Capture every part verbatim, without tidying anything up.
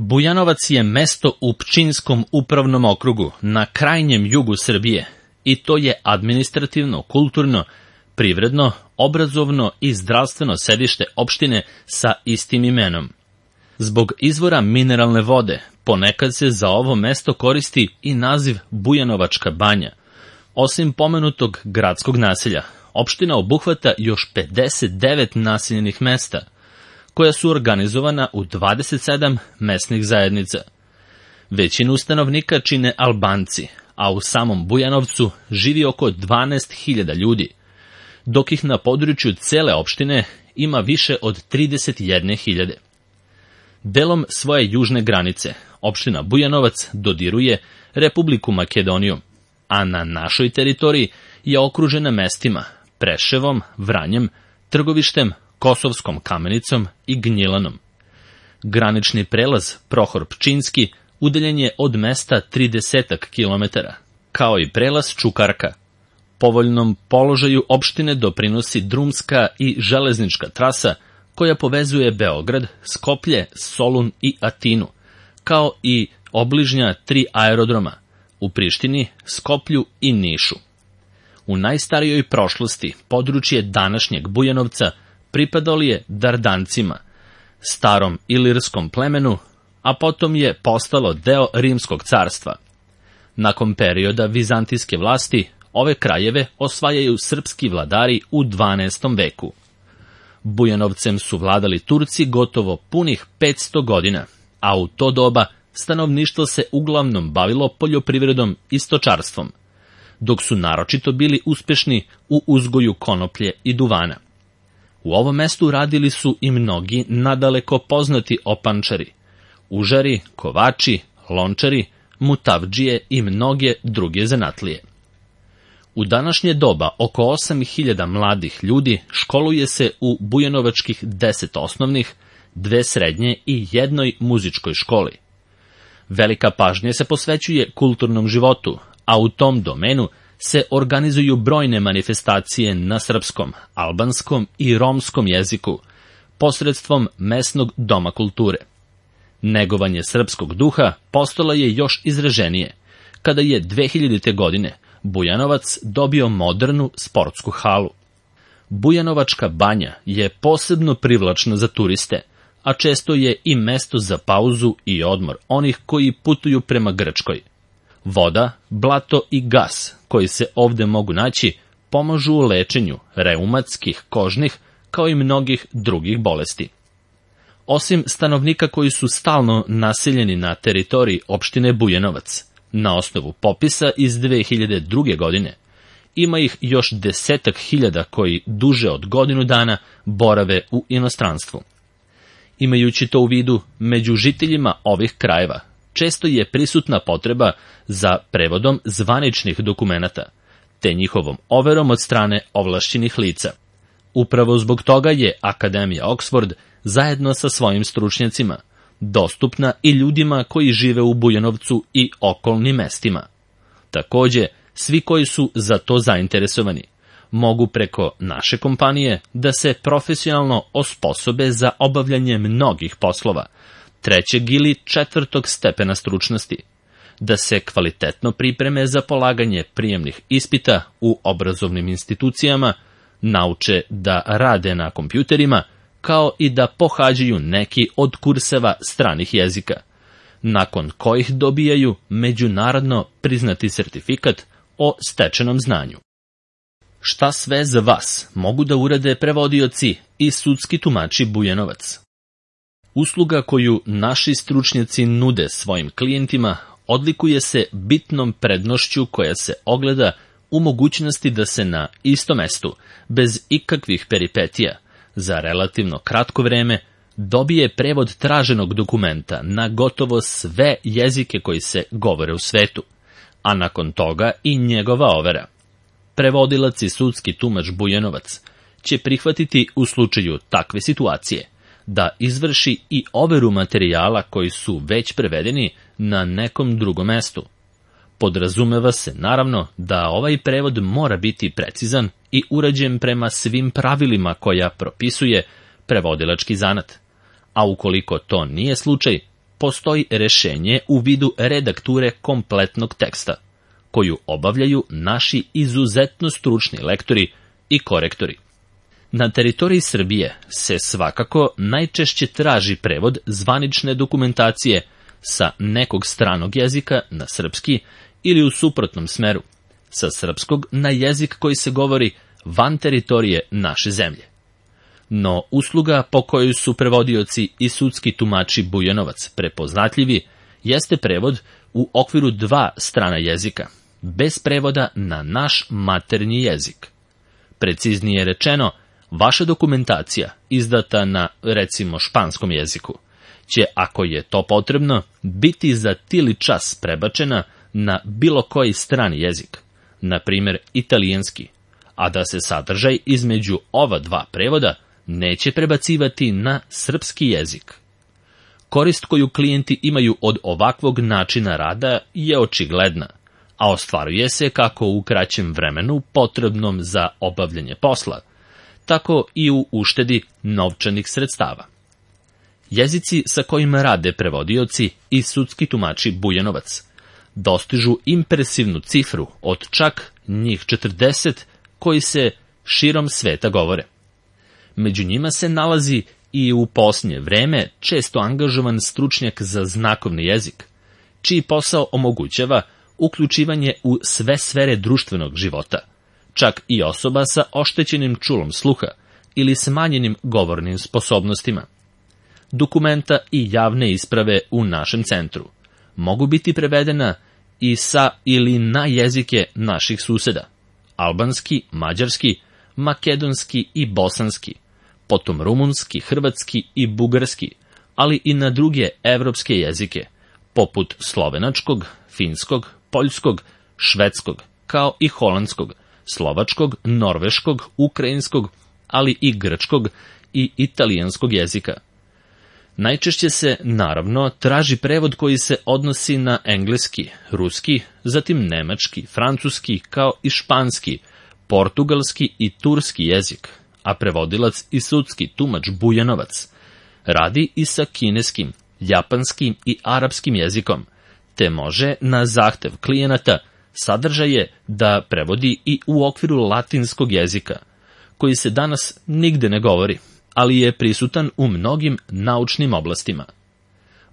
Bujanovac je mesto u Pčinjskom upravnom okrugu, na krajnjem jugu Srbije, i to je administrativno, kulturno, privredno, obrazovno i zdravstveno sedište opštine sa istim imenom. Zbog izvora mineralne vode, ponekad se za ovo mesto koristi i naziv Bujanovačka banja. Osim pomenutog gradskog naselja, opština obuhvata još pedeset devet naseljenih mesta, koja su organizovana u dvadeset sedam mesnih zajednica. Većinu stanovnika čine Albanci, a u samom Bujanovcu živi oko dvanaest hiljada ljudi, dok ih na području cele opštine ima više od trideset jedne hiljade. Delom svoje južne granice, opština Bujanovac dodiruje Republiku Makedoniju, a na našoj teritoriji je okružena mestima Preševom, Vranjem, Trgovištem, Kosovskom Kamenicom i Gnjilanom. Granični prelaz Prohor Pčinjski udaljen je od mesta trideset kilometara, kao i prelaz Čukarka. Povoljnom položaju opštine doprinosi drumska i železnička trasa koja povezuje Beograd, Skoplje, Solun i Atinu, kao i obližnja tri aerodroma u Prištini, Skoplju i Nišu. U najstarijoj prošlosti područje današnjeg Bujanovca pripadalo je Dardancima, starom ilirskom plemenu, a potom je postalo deo Rimskog carstva. Nakon perioda vizantijske vlasti, ove krajeve osvajaju srpski vladari u dvanaestom veku. Bujanovcem su vladali Turci gotovo punih petsto godina, a u to doba stanovništvo se uglavnom bavilo poljoprivredom i stočarstvom, dok su naročito bili uspešni u uzgoju konoplje i duvana. U ovom mestu radili su i mnogi nadaleko poznati opančari, užari, kovači, lončari, mutavdžije i mnoge druge zanatlije. U današnje doba oko osam hiljada mladih ljudi školuje se u bujanovačkih deset osnovnih, dve srednje i jednoj muzičkoj školi. Velika pažnja se posvećuje kulturnom životu, a u tom domenu se organizuju brojne manifestacije na srpskom, albanskom i romskom jeziku, posredstvom mesnog doma kulture. Negovanje srpskog duha postalo je još izraženije, kada je dve hiljadite. godine Bujanovac dobio modernu sportsku halu. Bujanovačka banja je posebno privlačna za turiste, a često je i mesto za pauzu i odmor onih koji putuju prema Grčkoj. Voda, blato i gas koji se ovde mogu naći pomažu u lečenju reumatskih, kožnih, kao i mnogih drugih bolesti. Osim stanovnika koji su stalno naseljeni na teritoriji opštine Bujanovac, na osnovu popisa iz dve hiljade druge. godine, ima ih još desetak hiljada koji duže od godinu dana borave u inostranstvu. Imajući to u vidu, među žiteljima ovih krajeva često je prisutna potreba za prevodom zvaničnih dokumenata, te njihovom overom od strane ovlašćenih lica. Upravo zbog toga je Akademija Oxford zajedno sa svojim stručnjacima dostupna i ljudima koji žive u Bujanovcu i okolnim mestima. Takođe, svi koji su za to zainteresovani mogu preko naše kompanije da se profesionalno osposobe za obavljanje mnogih poslova, trećeg ili četvrtog stepena stručnosti, da se kvalitetno pripreme za polaganje prijemnih ispita u obrazovnim institucijama, nauče da rade na kompjuterima, kao i da pohađaju neki od kurseva stranih jezika, nakon kojih dobijaju međunarodno priznati sertifikat o stečenom znanju. Šta sve za vas mogu da urade prevodioci i sudski tumači Bujanovac? Usluga koju naši stručnjaci nude svojim klijentima odlikuje se bitnom prednošću koja se ogleda u mogućnosti da se na istom mestu, bez ikakvih peripetija, za relativno kratko vreme, dobije prevod traženog dokumenta na gotovo sve jezike koji se govore u svetu, a nakon toga i njegova overa. Prevodilac i sudski tumač Bujanovac će prihvatiti u slučaju takve situacije da izvrši i overu materijala koji su već prevedeni na nekom drugom mestu. Podrazumeva se, naravno, da ovaj prevod mora biti precizan i urađen prema svim pravilima koja propisuje prevodilački zanat, a ukoliko to nije slučaj, postoji rešenje u vidu redakture kompletnog teksta, koju obavljaju naši izuzetno stručni lektori i korektori. Na teritoriji Srbije se svakako najčešće traži prevod zvanične dokumentacije sa nekog stranog jezika na srpski ili u suprotnom smeru, sa srpskog na jezik koji se govori van teritorije naše zemlje. No usluga po kojoj su prevodioci i sudski tumači Bujanovac prepoznatljivi jeste prevod u okviru dva strana jezika, bez prevoda na naš maternji jezik. Preciznije rečeno, vaša dokumentacija, izdata na, recimo, španskom jeziku, će, ako je to potrebno, biti za tili čas prebačena na bilo koji strani jezik, na primjer italijanski, a da se sadržaj između ova dva prevoda neće prebacivati na srpski jezik. Korist koju klijenti imaju od ovakvog načina rada je očigledna, a ostvaruje se kako u kraćem vremenu potrebnom za obavljanje posla, tako i u uštedi novčanih sredstava. Jezici sa kojima rade prevodioci i sudski tumači Bujanovac dostižu impresivnu cifru od čak njih četrdeset koji se širom sveta govore. Među njima se nalazi i u posljednje vreme često angažovan stručnjak za znakovni jezik, čiji posao omogućava uključivanje u sve sfere društvenog života, čak i osoba sa oštećenim čulom sluha ili smanjenim govornim sposobnostima. Dokumenta i javne isprave u našem centru mogu biti prevedena i sa ili na jezike naših suseda, albanski, mađarski, makedonski i bosanski, potom rumunski, hrvatski i bugarski, ali i na druge evropske jezike, poput slovenačkog, finskog, poljskog, švedskog, kao i holandskog, slovačkog, norveškog, ukrajinskog, ali i grčkog i italijanskog jezika. Najčešće se, naravno, traži prevod koji se odnosi na engleski, ruski, zatim nemački, francuski, kao i španski, portugalski i turski jezik, a prevodilac i sudski tumač Bujanovac radi i sa kineskim, japanskim i arapskim jezikom, te može na zahtev klijenata sadržaje da prevodi i u okviru latinskog jezika, koji se danas nigde ne govori, ali je prisutan u mnogim naučnim oblastima.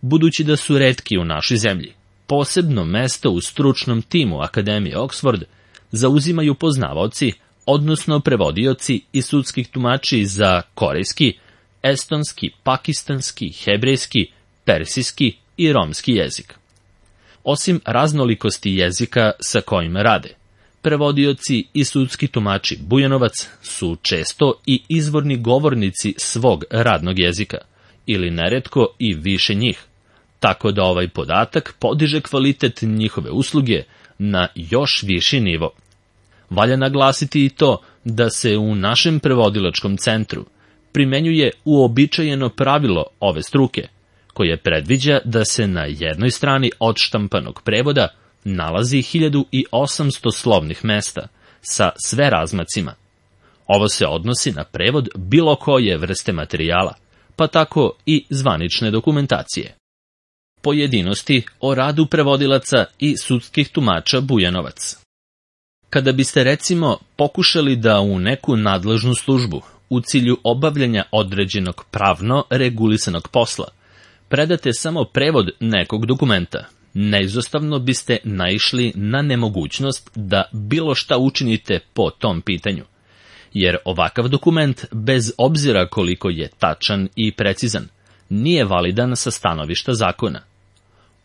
Budući da su retki u našoj zemlji, posebno mesto u stručnom timu Akademije Oxford zauzimaju poznavaoci, odnosno prevodioci i sudskih tumači za korejski, estonski, pakistanski, hebrejski, persijski i romski jezik. Osim raznolikosti jezika sa kojima rade, prevodioci i sudski tumači Bujanovac su često i izvorni govornici svog radnog jezika, ili neretko i više njih, tako da ovaj podatak podiže kvalitet njihove usluge na još viši nivo. Valja naglasiti i to da se u našem prevodilačkom centru primenjuje uobičajeno pravilo ove struke, koje predviđa da se na jednoj strani odštampanog prevoda nalazi hiljadu osamsto slovnih mesta sa sve razmacima. Ovo se odnosi na prevod bilo koje vrste materijala, pa tako i zvanične dokumentacije. Pojedinosti o radu prevodilaca i sudskih tumača Bujanovac. Kada biste, recimo, pokušali da u neku nadležnu službu u cilju obavljanja određenog pravno regulisanog posla predate samo prevod nekog dokumenta, neizostavno biste naišli na nemogućnost da bilo šta učinite po tom pitanju, jer ovakav dokument, bez obzira koliko je tačan i precizan, nije validan sa stanovišta zakona.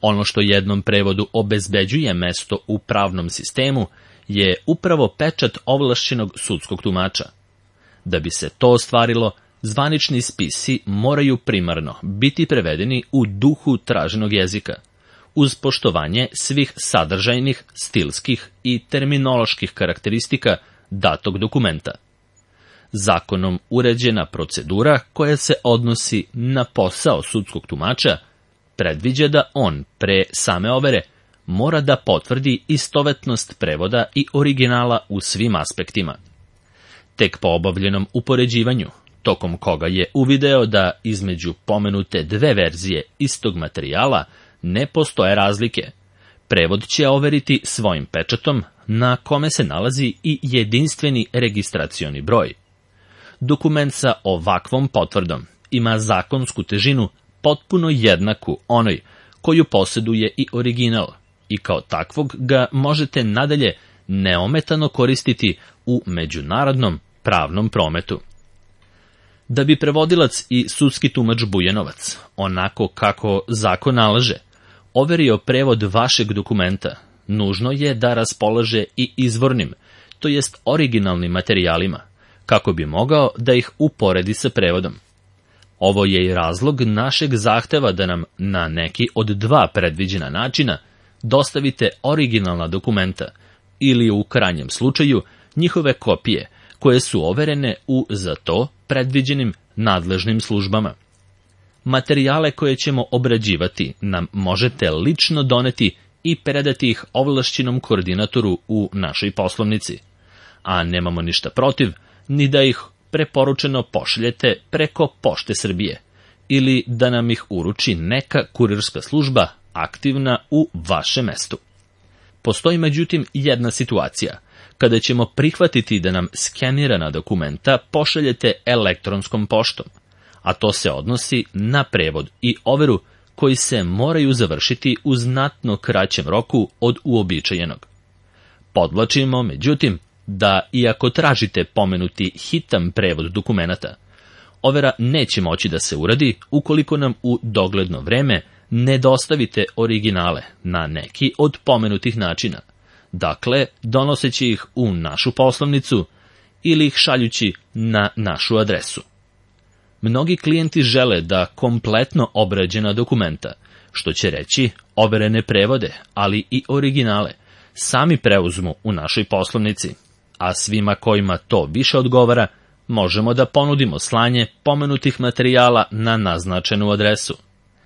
Ono što jednom prevodu obezbeđuje mesto u pravnom sistemu je upravo pečat ovlašćenog sudskog tumača. Da bi se to ostvarilo, zvanični spisi moraju primarno biti prevedeni u duhu traženog jezika, uz poštovanje svih sadržajnih, stilskih i terminoloških karakteristika datog dokumenta. Zakonom uređena procedura koja se odnosi na posao sudskog tumača predviđa da on, pre same overe, mora da potvrdi istovetnost prevoda i originala u svim aspektima. Tek po obavljenom upoređivanju, tokom koga je uvideo da između pomenute dve verzije istog materijala ne postoje razlike. Prevod će overiti svojim pečatom na kome se nalazi i jedinstveni registracioni broj. Dokument sa ovakvom potvrdom ima zakonsku težinu potpuno jednaku onoj koju posjeduje i original i kao takvog ga možete nadalje neometano koristiti u međunarodnom pravnom prometu. Da bi prevodilac i sudski tumač Bujanovac, onako kako zakon nalaže, overio prevod vašeg dokumenta, nužno je da raspolaže i izvornim, to jest originalnim materijalima, kako bi mogao da ih uporedi sa prevodom. Ovo je i razlog našeg zahteva da nam na neki od dva predviđena načina dostavite originalna dokumenta ili u krajnjem slučaju njihove kopije koje su overene u za to predviđenim nadležnim službama. Materijale koje ćemo obrađivati nam možete lično doneti i predati ih ovlašćenom koordinatoru u našoj poslovnici, a nemamo ništa protiv ni da ih preporučeno pošaljete preko Pošte Srbije ili da nam ih uruči neka kurirska služba aktivna u vašem mestu. Postoji međutim jedna situacija kada ćemo prihvatiti da nam skenirana dokumenta pošaljete elektronskom poštom, a to se odnosi na prevod i overu koji se moraju završiti u znatno kraćem roku od uobičajenog. Podvlačimo, međutim, da iako tražite pomenuti hitan prevod dokumenata, overa neće moći da se uradi ukoliko nam u dogledno vreme ne dostavite originale na neki od pomenutih načina, dakle donoseći ih u našu poslovnicu ili ih šaljući na našu adresu. Mnogi klijenti žele da kompletno obrađena dokumenta, što će reći overene prevode, ali i originale, sami preuzmu u našoj poslovnici, a svima kojima to više odgovara, možemo da ponudimo slanje pomenutih materijala na naznačenu adresu.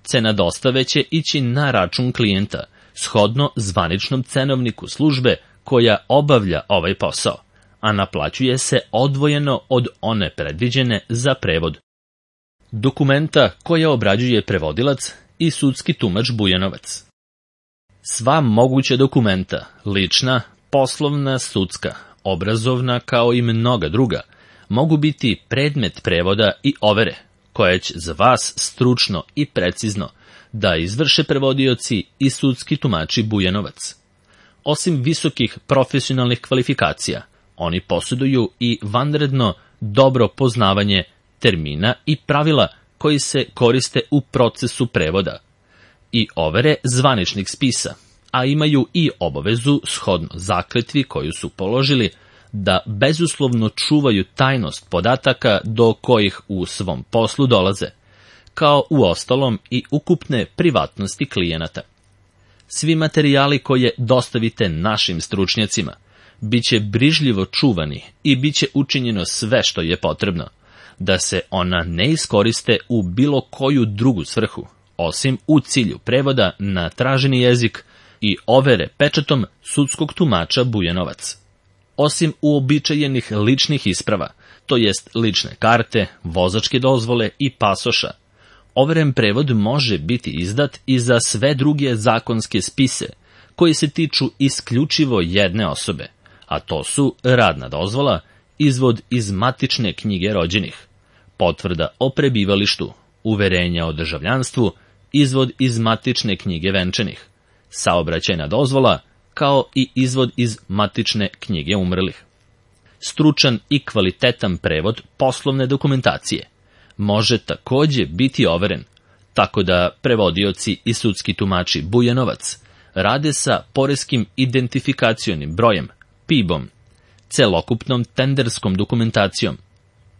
Cena dostave će ići na račun klijenta, shodno zvaničnom cenovniku službe koja obavlja ovaj posao, a naplaćuje se odvojeno od one predviđene za prevod. Dokumenta koja obrađuje prevodilac i sudski tumač Bujanovac. Sva moguća dokumenta, lična, poslovna, sudska, obrazovna kao i mnoga druga, mogu biti predmet prevoda i overe, koje će za vas stručno i precizno da izvrše prevodioci i sudski tumači Bujanovac. Osim visokih profesionalnih kvalifikacija, oni posjeduju i vanredno dobro poznavanje termina i pravila koji se koriste u procesu prevoda i overe zvaničnih spisa, a imaju i obavezu shodno zakletvi koju su položili da bezuslovno čuvaju tajnost podataka do kojih u svom poslu dolaze, kao u ostalom i ukupne privatnosti klijenata. Svi materijali koje dostavite našim stručnjacima biće brižljivo čuvani i biće učinjeno sve što je potrebno, da se ona ne iskoriste u bilo koju drugu svrhu, osim u cilju prevoda na traženi jezik i overe pečatom sudskog tumača Bujanovac. Osim uobičajenih ličnih isprava, to jest lične karte, vozačke dozvole i pasoša, overen prevod može biti izdat i za sve druge zakonske spise koji se tiču isključivo jedne osobe, a to su radna dozvola, izvod iz matične knjige rođenih, potvrda o prebivalištu, uverenja o državljanstvu, izvod iz matične knjige venčanih, saobraćajna dozvola, kao i izvod iz matične knjige umrlih. Stručan i kvalitetan prevod poslovne dokumentacije može takođe biti overen, tako da prevodioci i sudski tumači Bujanovac rade sa poreskim identifikacionim brojem, P I B-om, celokupnom tenderskom dokumentacijom,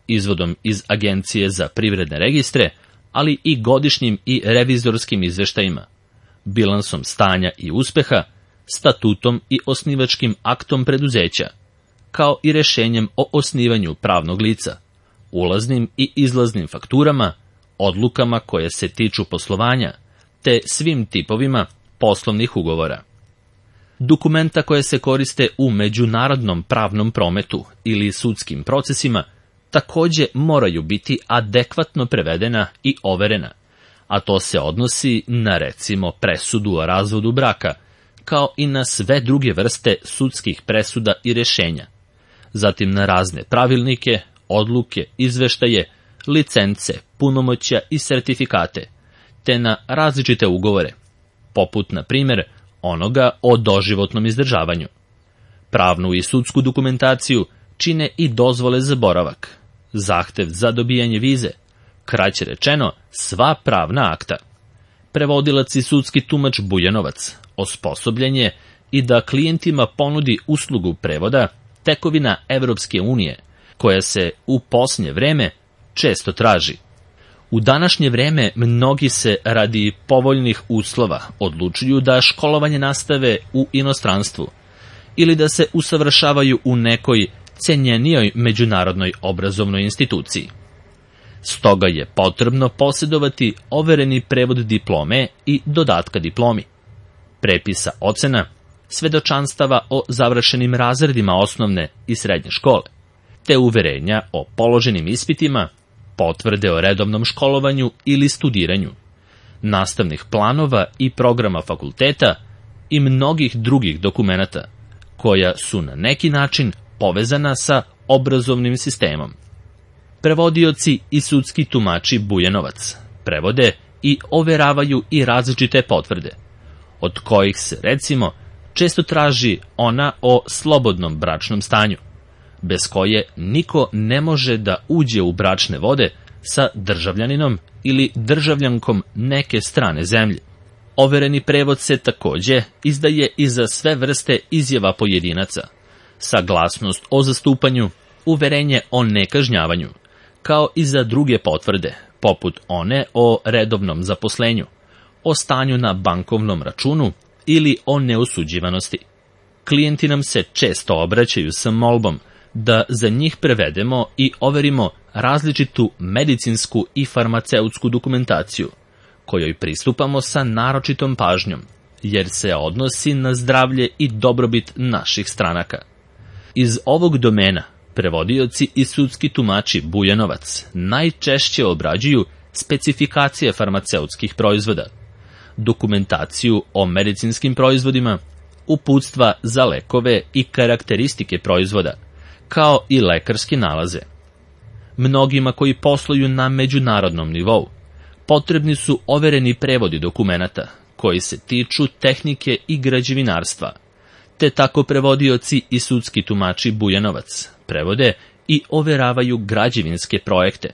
izvodom iz Agencije za privredne registre, ali i godišnjim i revizorskim izveštajima, bilansom stanja i uspeha, statutom i osnivačkim aktom preduzeća, kao i rešenjem o osnivanju pravnog lica, ulaznim i izlaznim fakturama, odlukama koje se tiču poslovanja, te svim tipovima poslovnih ugovora. Dokumenta koje se koriste u međunarodnom pravnom prometu ili sudskim procesima takođe moraju biti adekvatno prevedena i overena, a to se odnosi na recimo presudu o razvodu braka, kao i na sve druge vrste sudskih presuda i rešenja, zatim na razne pravilnike, odluke, izveštaje, licence, punomoćja i sertifikate, te na različite ugovore, poput, na primjer, onoga o doživotnom izdržavanju. Pravnu i sudsku dokumentaciju čine i dozvole za boravak, zahtev za dobijanje vize, kraće rečeno, sva pravna akta. Prevodilac i sudski tumač Bujanovac osposobljen je i da klijentima ponudi uslugu prevoda tekovina Evropske unije, koja se u posljednje vreme često traži. U današnje vreme mnogi se radi povoljnih uslova odlučuju da školovanje nastave u inostranstvu ili da se usavršavaju u nekoj cenjenijoj međunarodnoj obrazovnoj instituciji. Stoga je potrebno posjedovati overeni prevod diplome i dodatka diplomi, prepisa ocena, svedočanstava o završenim razredima osnovne i srednje škole, te uverenja o položenim ispitima, potvrde o redovnom školovanju ili studiranju, nastavnih planova i programa fakulteta i mnogih drugih dokumenata, koja su na neki način povezana sa obrazovnim sistemom. Prevodioci i sudski tumači Bujanovac prevode i overavaju i različite potvrde, od kojih se, recimo, često traži ona o slobodnom bračnom stanju, bez koje niko ne može da uđe u bračne vode sa državljaninom ili državljankom neke strane zemlje. Overeni prevod se takođe izdaje i za sve vrste izjava pojedinaca, saglasnost o zastupanju, uverenje o nekažnjavanju, kao i za druge potvrde, poput one o redovnom zaposlenju, o stanju na bankovnom računu ili o neosuđivanosti. Klijenti nam se često obraćaju sa molbom da za njih prevedemo i overimo različitu medicinsku i farmaceutsku dokumentaciju, kojoj pristupamo sa naročitom pažnjom, jer se odnosi na zdravlje i dobrobit naših stranaka. Iz ovog domena prevodioci i sudski tumači Bujanovac najčešće obrađuju specifikacije farmaceutskih proizvoda, dokumentaciju o medicinskim proizvodima, uputstva za lekove i karakteristike proizvoda, kao i lekarske nalaze. Mnogima koji posluju na međunarodnom nivou potrebni su overeni prevodi dokumenata koji se tiču tehnike i građevinarstva, te tako prevodioci i sudski tumači Bujanovac prevode i overavaju građevinske projekte,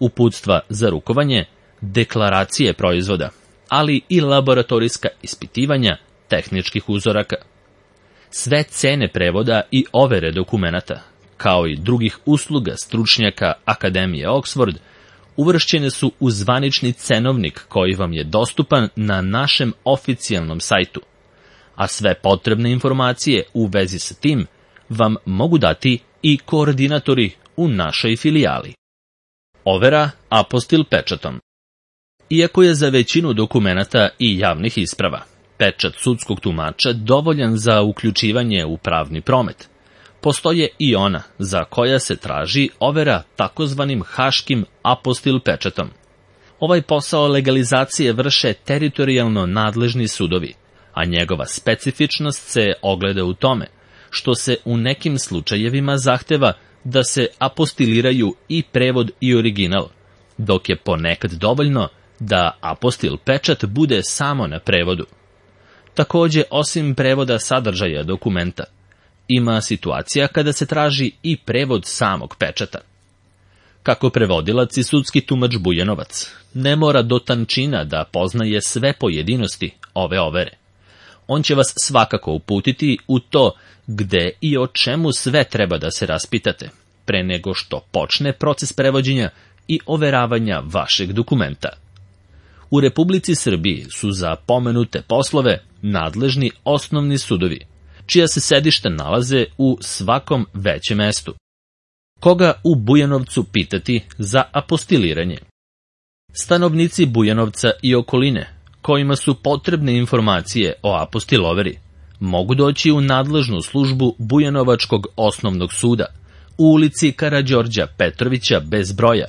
uputstva za rukovanje, deklaracije proizvoda, ali i laboratorijska ispitivanja tehničkih uzoraka. Sve cene prevoda i overe dokumenata, kao i drugih usluga stručnjaka Akademije Oxford, uvršćene su u zvanični cenovnik koji vam je dostupan na našem oficijalnom sajtu, a sve potrebne informacije u vezi sa tim vam mogu dati i koordinatori u našoj filijali. Overa apostil pečatom. Iako je za većinu dokumenata i javnih isprava pečat sudskog tumača dovoljan za uključivanje u pravni promet, postoje i ona za koja se traži overa takozvanim haškim apostil pečatom. Ovaj posao legalizacije vrše teritorijalno nadležni sudovi, a njegova specifičnost se ogleda u tome što se u nekim slučajevima zahteva da se apostiliraju i prevod i original, dok je ponekad dovoljno da apostil pečat bude samo na prevodu. Takođe, osim prevoda sadržaja dokumenta, ima situacija kada se traži i prevod samog pečata. Kako prevodilac i sudski tumač Bujanovac ne mora do tančina da poznaje sve pojedinosti ove overe. On će vas svakako uputiti u to gde i o čemu sve treba da se raspitate, pre nego što počne proces prevođenja i overavanja vašeg dokumenta. U Republici Srbiji su za pomenute poslove nadležni osnovni sudovi, čija se sedišta nalaze u svakom većem mestu. Koga u Bujanovcu pitati za apostiliranje? Stanovnici Bujanovca i okoline, kojima su potrebne informacije o apostiloveri, mogu doći u nadležnu službu Bujanovačkog osnovnog suda u ulici Karađorđa Petrovića bez broja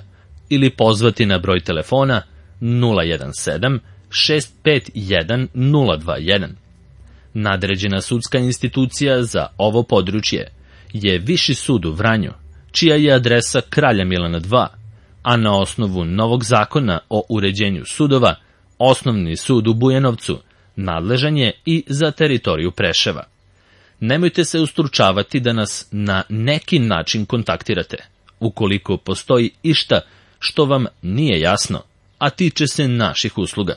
ili pozvati na broj telefona nula jedan sedam šest pet jedan nula dva jedan. Nadređena sudska institucija za ovo područje je Viši sud u Vranju, čija je adresa Kralja Milana dva, a na osnovu novog zakona o uređenju sudova, Osnovni sud u Bujanovcu nadležan je i za teritoriju Preševa. Nemojte se ustručavati da nas na neki način kontaktirate, ukoliko postoji išta što vam nije jasno, a tiče se naših usluga.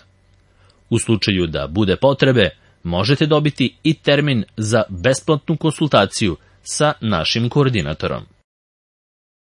U slučaju da bude potrebe, možete dobiti i termin za besplatnu konsultaciju sa našim koordinatorom.